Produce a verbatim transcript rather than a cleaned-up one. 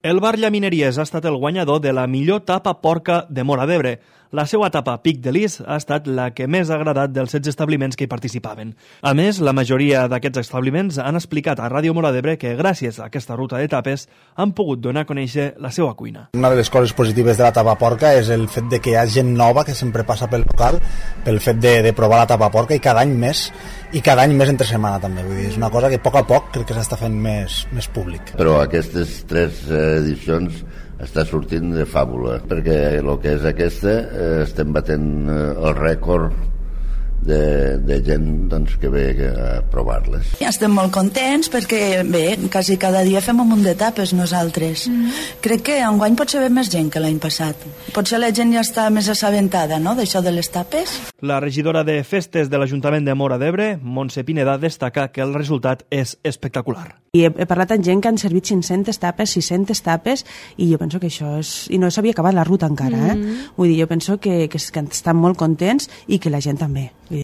El bar Llamineries ha estat el guanyador de la millor tapa porca de Móra d'Ebre. La seva tapa Pic de Lis ha estat la que més ha agradat dels setze establiments que hi participaven. A més, la majoria d'aquests establiments han explicat a Ràdio Móra d'Ebre que gràcies a aquesta ruta de tapes han pogut donar a conèixer la seva cuina. Una de les coses positives de la tapa porca és el fet de que hi ha gent nova que sempre passa pel local, pel fet de, de provar la tapa porca i cada any més, i cada any més entre setmana també. Vull dir, és una cosa que a poc a poc crec que s'està fent més, més públic. Però aquestes tres edicions està sortint de fàbula, perquè el que és aquesta eh, estem batent eh, el rècord de, de gent doncs, que ve a provar-les. Estem molt contents perquè bé, quasi cada dia fem un munt d'etapes nosaltres. Mm. Crec que enguany potser ve més gent que l'any passat. Potser la gent ja està més assabentada, no?, d'això de les tapes. La regidora de Festes de l'Ajuntament de Móra d'Ebre, Montse Pineda, destaca que el resultat és espectacular. I he, he parlat amb gent que han servit cinc-centes tapes, sis-centes tapes, i jo penso que això és... I no s'havia acabat la ruta encara, eh? Mm. Vull dir, jo penso que, que, que estan molt contents i que la gent també. Vull